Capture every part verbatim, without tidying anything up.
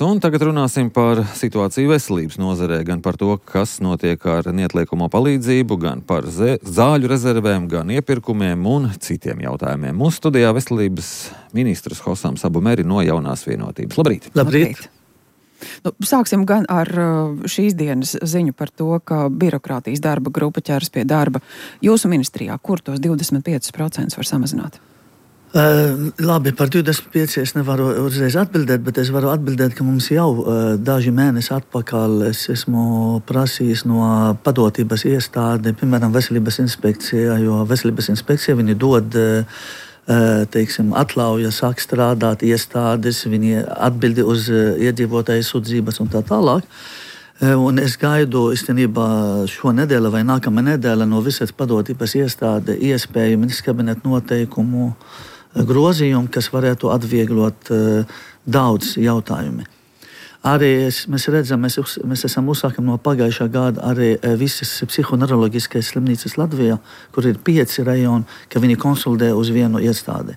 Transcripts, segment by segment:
Un tagad runāsim par situāciju veselības nozarē, gan par to, kas notiek ar neatliekamo palīdzību, gan par zāļu rezervēm, gan iepirkumiem un citiem jautājumiem. Mūsu studijā veselības ministrs Hosams Abu Meri no Jaunās vienotības. Labrīt! Labrīt! Nu, sāksim gan ar šīs dienas ziņu par to, ka birokrātijas darba grupa ķeras pie darba jūsu ministrijā. Kur tos divdesmit piecus procentus var samazināt? Uh, labi, par divdesmit pieci es nevaru uzreiz atbildēt, bet es varu atbildēt, ka mums jau uh, daži mēneši atpakaļ es esmu prasījis no padotības iestāde, piemēram, veselības inspekcijā, jo veselības inspekcija viņi dod, uh, teiksim, atļauja sāk strādāt iestādes, viņi atbildi uz uh, iedzīvotāju sūdzības un tā tālāk. Uh, un es gaidu īstenībā šo nedēļu vai nākamā nedēļa no visas padotības iestāde iespēju ministra kabineta noteikumu grozījumu, kas varētu atvieglot uh, daudz jautājumu. Arī es, mēs redzam, mēs, mēs esam uzsākam no pagājušā gada arī uh, visas psihoneiroloģiskās slimnīcas Latvijā, kur ir pieci rajoni, ka viņi konsultē uz vienu iestādi.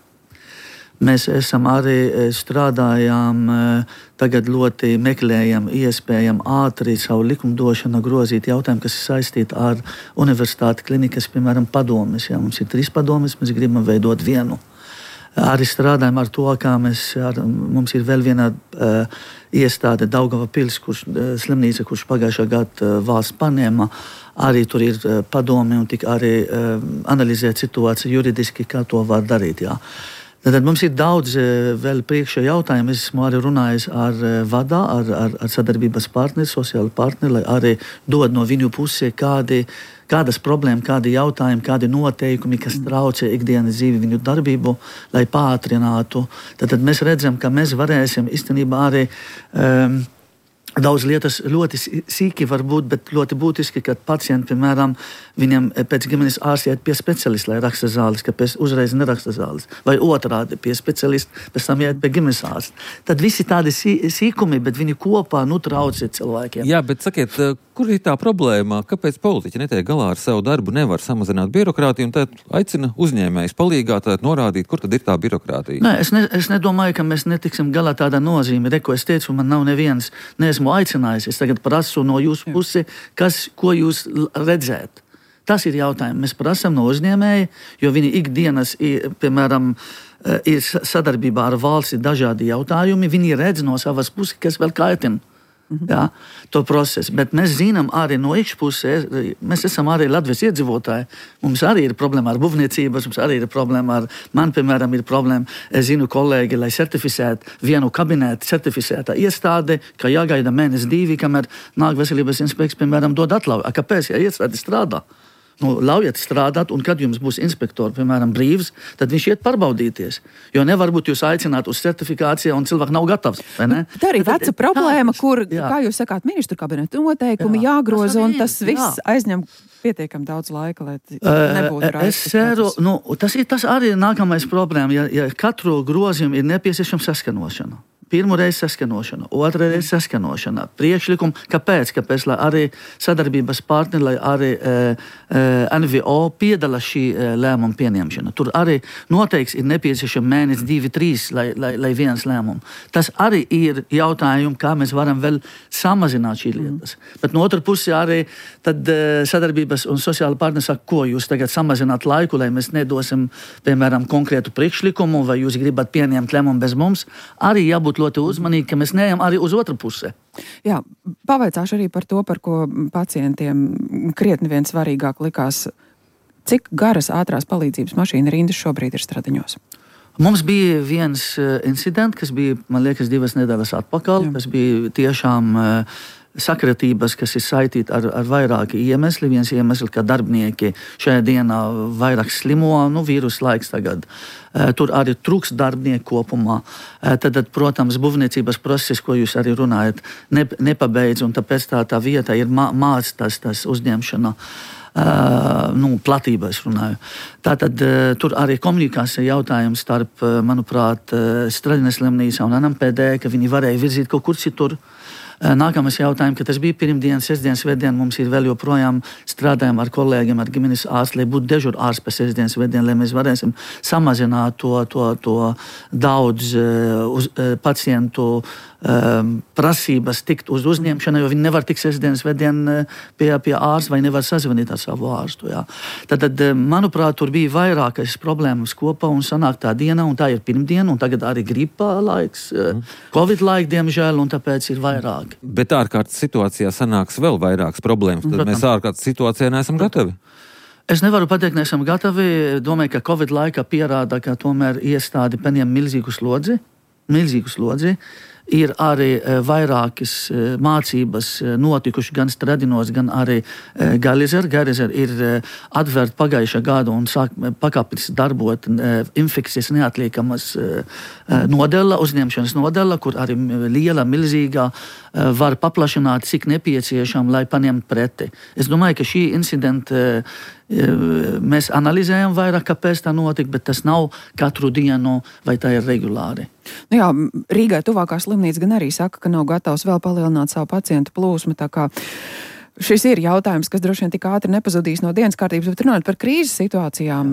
Mēs esam arī strādājām, uh, tagad ļoti meklējam, iespējam ātri savu likumdošanu grozīt jautājumu, kas ir saistīti ar universitāti klinikas, piemēram, padomes. Ja, mums ir trīs padomes, mēs gribam veidot vienu. Arī strādājam ar to, kā mēs, ar, mums ir vēl viena uh, iestāde Daugava pils, kurš, uh, slimnīca, kurš pagājušā gada uh, valsts paņēma. Arī tur ir uh, padome un tik arī uh, analizēt situāciju juridiski, kā to var darīt. Jā. Tad mums ir daudz uh, vēl priekšā jautājumu. Es esmu arī runājis ar uh, vadā, ar, ar, ar sadarbības partneri, sociāli partneri, lai arī dod no viņu pusē kādi kādas problēmas, kādi jautājumi, kādi noteikumi, kas traucē ikdienas dzīvi viņu darbību, lai pātrinātu. Tad, tad mēs redzam, ka mēs varēsim īstenībā arī um, daudz lietas ļoti sīki var būt, bet ļoti būtiski, ka pacienti, piemēram, viņam pēc ģimenes ārsta iet pie specialista, lai raksta zāles, kāpēc uzreiz neraksta zāles. Vai otrādi pie specialista, pēc tam iet pie ģimenes ārsta. Tad visi tādi sī, sīkumi, bet viņi kopā nu traucē cilvēkiem. Jā, bet sakiet, kur ir tā problēma? Kāpēc politiķi netiek galā ar savu darbu, nevar samazināt birokrātiju un tad aicina uzņēmējus palīgā tad norādīt, kur tad ir tā birokrātija? Nē, es, ne, es nedomāju, ka mēs netiksim galā tādā nozīme. Re, ko es teicu, man nav neviens, neesmu aicinājis. Es tagad prasu no jūsu pusi, kas, ko jūs redzēt. Tas ir jautājums. Mēs prasām no uzņēmēja, jo viņi ikdienas, piemēram, ir sadarbībā ar valsti dažādi jautājumi. Viņi redz no savas puses, kas vēl kaitina. Jā, to procesu. Bet mēs zinām arī no iekšpuses, mēs esam arī Latvijas iedzīvotāji. Mums arī ir problēma ar būvniecības, mums arī ir problēma ar, man, piemēram, ir problēma, es zinu kolēģi, lai certificētu vienu kabinetu certificētā iestāde, ka jāgaida mēnesi divi, kamēr nāk veselības inspekts, piemēram, dod atļauju. Kāpēc? Ja iestāde strādā. Nu, ļaujiet strādāt, un kad jums būs inspektori, piemēram, brīvs, tad viņš iet pārbaudīties. Jo nevar būt jūs aicināt uz certifikāciju, un cilvēks nav gatavs. Tā arī veca problēma, kur, jā. Kā jūs sakāt, ministru kabineta noteikumi jā. Jāgroza, un tas viss jā. Aizņem pietiekam daudz laika, lai nebūtu uh, es ceru, nu, tas, ir, tas arī ir nākamais problēma, ja, ja katru grozījumu ir nepieciešama saskanošana. Pirmo reizi saskanošana, otrā reize saskanošana, priekšlikumi. Kāpēc? Kāpēc? Lai arī sadarbības partneri, lai arī e, e, N V O piedalās šī e, lēmuma pieņemšana. Tur arī noteikti ir nepieciešama mēnesis, divi, trīs, lai, lai, lai viens lēmums. Tas arī ir jautājums, kā mēs varam vēl samazināt šīs lietas. Mm. Bet no otras puses arī tad, e, sadarbības un sociāla partneri saka, ko jūs tagad samazināt laiku, lai mēs nedosim, piemēram, konkrētu priekšlikumu, vai jūs gribat pieņemt lēmumu bez mums. Arī jābūt ļoti uzmanīgi, ka mēs neejam arī uz otru pusi. Jā, pavaicāšu arī par to, par ko pacientiem krietni vien svarīgāk likās. Cik garas ātrās palīdzības mašīna rindas šobrīd ir Stradiņos? Mums bija viens uh, incidents, kas bija, man liekas, divas nedēļas atpakaļ, Jā. Kas bija tiešām uh, sakratības, kas ir saistīti ar, ar vairāki iemesli. Viens iemesls, ka darbinieki šajā dienā vairāk slimo, nu, vīrus laiks tagad. Uh, tur arī trūks darbinieku kopumā. Uh, tad, tad, protams, būvniecības process, ko jūs arī runājat, ne, nepabeidz, un tāpēc tā, tā vieta ir mā, māc tas, tas uzņemšana. Uh, nu, platībā es runāju. Tātad uh, tur arī komunikācija jautājums starp, uh, manuprāt, uh, Stradiņas slimnīcā un N M P D, ka viņi varēja virzīt kaut kur citur. Nākamais jautājums, ka tas bija pirmdien, sestdien, svētdien, mums ir vēl joprojām strādājam ar kolēģiem, ar ģimenes ārstu, lai būtu dežur ārsts pēc sestdien, svētdien, lai mēs varēsim samazināt to, to, to daudz uz, pacientu um, prasības tikt uz uzņemšanu, jo viņi nevar tikt sestdien, svētdien pie, pie ārsta vai nevar sazvanīt ar savu ārstu. Jā. Tad, tad, manuprāt, tur bija vairākas problēmas kopā un sanāk tā diena, un tā ir pirmdiena, un tagad arī gripa laiks, mm. Covid laika, diemžēl, un tāpēc ir vairāk. Bet ārkārtas situācijā sanāks vēl vairākas problēmas, tad Protams. Mēs ārkārtas situācijā neesam gatavi. Es nevaru pateikt, neesam gatavi. Domāju, ka Covid laikā pierāda, ka tomēr iestādi paņem milzīgu slodzi, milzīgu slodzi. Ir arī vairākas mācības notikuši gan Stradinos, gan arī Galizer. Galizer ir atvērta pagājušā gada un sāk pakāpis darbot infekcijas neatliekamas nodela, uzņemšanas nodela, kur arī liela, milzīgā var paplašināt, cik nepieciešam, lai paņemt preti. Es domāju, ka šī incidenta mēs analizējam vairāk, kāpēc tā notika, bet tas nav katru dienu vai tā ir regulāri. Nu jā, Rīgai tuvākā slimnīca gan arī saka, ka nav gatavs vēl palielināt savu pacientu plūsmu, tā kā šis ir jautājums, kas droši vien tik ātri nepazudīs no dienas kārtības, bet runājot par krīzes situācijām,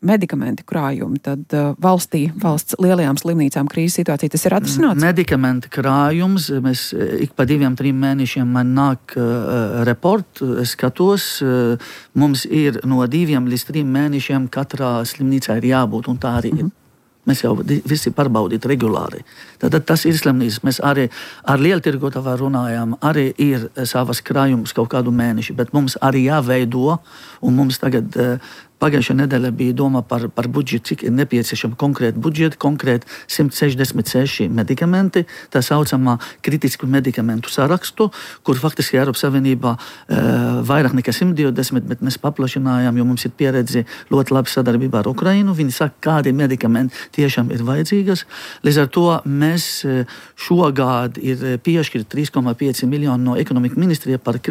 medikamenti krājumi, tad valstī, valsts lielajām slimnīcām krīzes situācija, tas ir atrisināts? Medikamenti krājums, mēs ik pa diviem, trim mēnešiem man nāk uh, report, es skatos, uh, mums ir no diviem līdz trim mēnešiem katrā slimnīcā ir jābūt, un tā arī ir. Mm-hmm. Mēs jau visi pārbaudīt regulāri. Tad tas ir slimnīcas. Mēs arī ar lieltirgotavā runājām, arī ir savas krājumus kaut kādu mēneši, bet mums arī jāveido, un mums tagad pagājušā nedēļa bija doma par, par budžetu, cik ir nepieciešama konkrēta budžeta, konkrēti simt sešdesmit seši medikamenti, tā saucamā kritisku medikamentu sarakstu, kur faktiski Eiropas Savienībā e, vairāk nekā simt divdesmit, bet mēs paplašinājām, jo mums ir pieredze ļoti labi sadarbībā ar Ukrainu. Viņi saka, kādi medikamenti tiešām ir vajadzīgas. Līdz ar to mēs šogad ir piešķirt trīs komā pieci miljoni no ekonomika ministrija par,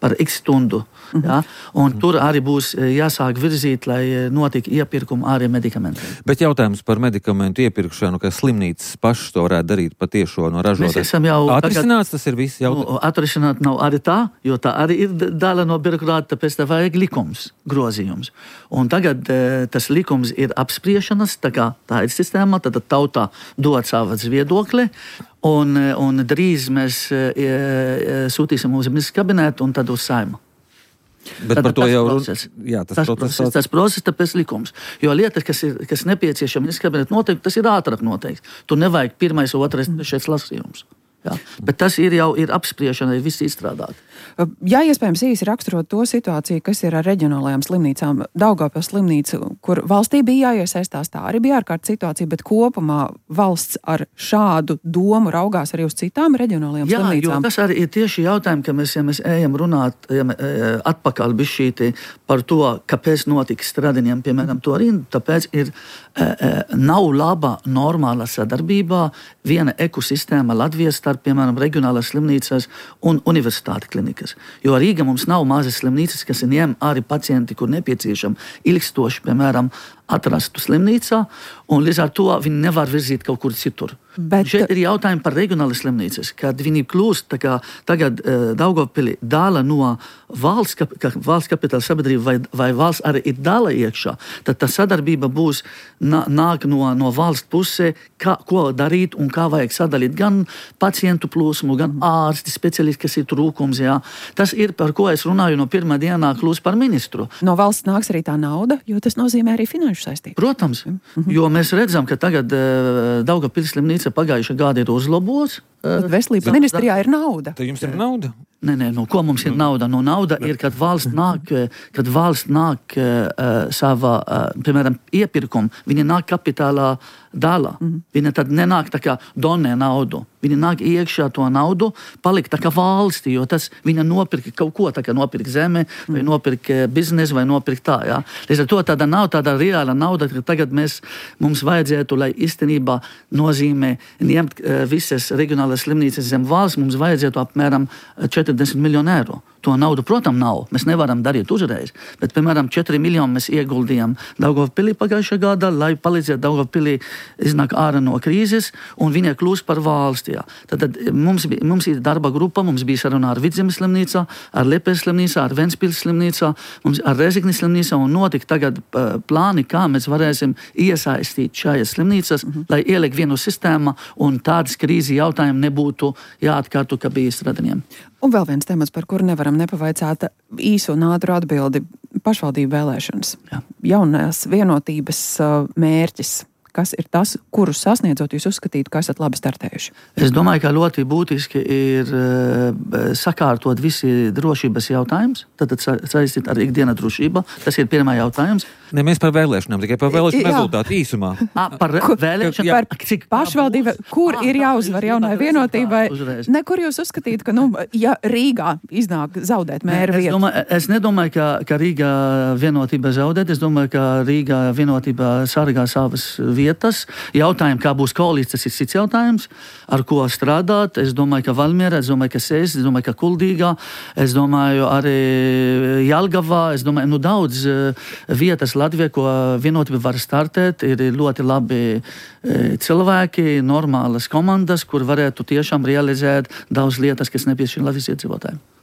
par X stundu. Mm-hmm. Ja? Un mm-hmm. tur arī būs jāsāk virzīt, lai notika iepirkuma arī medikamentiem. Bet jautājums par medikamentu iepirkšanu, ka slimnīcas pašas to varētu darīt patiešo no ražotājiem. Mēs esam jau atrisināts, tas ir viss jautājums. Nu, atrisināt nav arī tā, jo tā arī ir daļa no birokrāta, tāpēc tā vajag likums, grozījums. Un tagad tas likums ir apspriešanas, tā kā tā ir sistēma, tad tautā dod savas viedokli, un, un drīz mēs sūtīsim uz ministrs kabinetu un tad uz Saimu. Bet tad, par to jau process. Jā, tas, tas process, process, tas process, tāpēc likums. Jo lietas, kas ir kas nepieciešama ministrs kabineta noteikti, tas ir ātrāk noteikti. Tur nevajag pirmais, otrais, trešais lasījums. Jā. Bet tas ir jau ir apspriešana, ir viss izstrādāt. Jā, iespējams īsi raksturot to situāciju, kas ir ar reģionālajām slimnīcām. Daugavpils slimnīca, kur valstī bija jāiesaistās, tā arī bija ārkārtas situācija, bet kopumā valsts ar šādu domu raugās arī uz citām reģionālajām Jā, slimnīcām. Jā, jo tas arī ir tieši jautājumi, ka mēs, ja mēs ejam runāt ja mē, atpakaļ bišķīti par to, kāpēc notika Stradiņiem, piemēram, to rindu, tāpēc ir nav laba normāla sadarbībā viena ekosistēma Latvijas starp, piemēram, reģionālās slimnīcas un universitāti klinikas. Jo Rīga mums nav mazas slimnīcas, kas ņem arī pacienti, kur nepieciešam ilgstoši, piemēram, atrastu slimnīcā, un līdz ar to viņi nevar virzīt kaut kur citur. Bet šeit ir jautājumi par reģionālas slimnīcas, kad viņi kļūst, tā kā tagad uh, Daugavpili dala no valsts, kap, ka valsts kapitāla sabiedrība vai, vai valsts arī ir dala iekšā, tad tā sadarbība būs nā, nāk no, no valsts pusē, kā, ko darīt un kā vajag sadalīt gan pacientu plūsmu, gan ārsti, speciālisti, kas ir trūkums. Jā. Tas ir, par ko es runāju no pirmā dienā kļūst par ministru. No valsts nāks arī tā nauda, jo tas nozīmē arī finanšu saistību. Protams, mm-hmm. jo mēs redzam, ka tagad uh, Daugavpils slimnīca pagājušā gada ir uzlabots. Uh, Veselības da, ministrijā ir nauda. Tad jums ir nauda? Nē, nē, no ko mums ir nauda? No nauda ir, kad valsts nāk, kad valsts nāk uh, savā, uh, piemēram, iepirkumu, viņa nāk kapitālā dala. Mm-hmm. Viņa tad nenāk tā kā donē naudu. Viņa nāk iekšā to naudu, palikt tā kā valsti, jo tas viņa nopirka kaut ko, tā kā nopirka zeme, mm. vai nopirka biznesu, vai nopirka tā, jā. Līdz ar to tāda nav tāda reāla nauda, ka tagad mēs, mums vajadzētu, lai īstenībā nozīmē ņemt uh, visas reģionālās reģionālas slimnīcas zem valsts, mums vajadzētu apmēram četrdesmit miljonu eiro. To naudu, protams, nav. Mēs nevaram darīt uzreiz. Bet, piemēram, četri miljoni mēs ieguldījām Daugavpilī pagājušajā gadā, lai palīdzētu Daugavpilī iznāk ārā no krīzes, un viņa kļūst par valsti. Tad, tad mums, mums ir darba grupa, mums bija saruna ar Vidzemes slimnīcā, ar Liepājas slimnīcā, ar Ventspils slimnīcā, mums ar Rezeknes slimnīcā, un notika tagad uh, plāni, kā mēs varēsim iesaistīt šajās slimnīcas, mm-hmm. lai ieliek vienu sistēmu, un tādas krīzes jautājumi nebūtu jāatkārto, kā bija Stradaniem. Un vēl viens temats, par kuru nevaram nepavaicāt īsu un ātru atbildi - pašvaldību vēlēšanas. Jā. Jaunās vienotības uh, mērķis. Kas ir tas, kurus sasniedzot jūs uzskatītu, ka esat labi startējuši? Es domāju, ka ļoti būtiski ir uh, sakārtot visi drošības jautājums, tad saistīt ar ikdiena drošību. Tas ir pirmā jautājums. Ne mēs par vēlēšanām, tikai par vēlēšanu rezultātu īsumā. A, par vēlēšanām, par pašvaldību, kur ir jāuzvar jaunai vienotībai. Ne, kur jūs uzskatīt, ka, nu, ja Rīgā iznāk zaudēt mēra vietu? Es, domāju, es nedomāju, ka, ka Rīgā vienotība zaudēt. Es domāju, ka Rīgā vienotība sargā savas vietas. Jautājumi, kā būs koalīcija, tas ir cits jautājums, ar ko strādāt. Es domāju, ka Valmiera, es domāju, ka Sēs, es domāju, ka Kuldīgā, es domāju arī Jelgavā, es domāju, nu daudz vietas Latvijā, ko vienotība var startēt, ir ļoti labi cilvēki, normālas komandas, kur varētu tiešām realizēt daudz lietas, kas nepieciešams Latvijas iedzīvotājiem.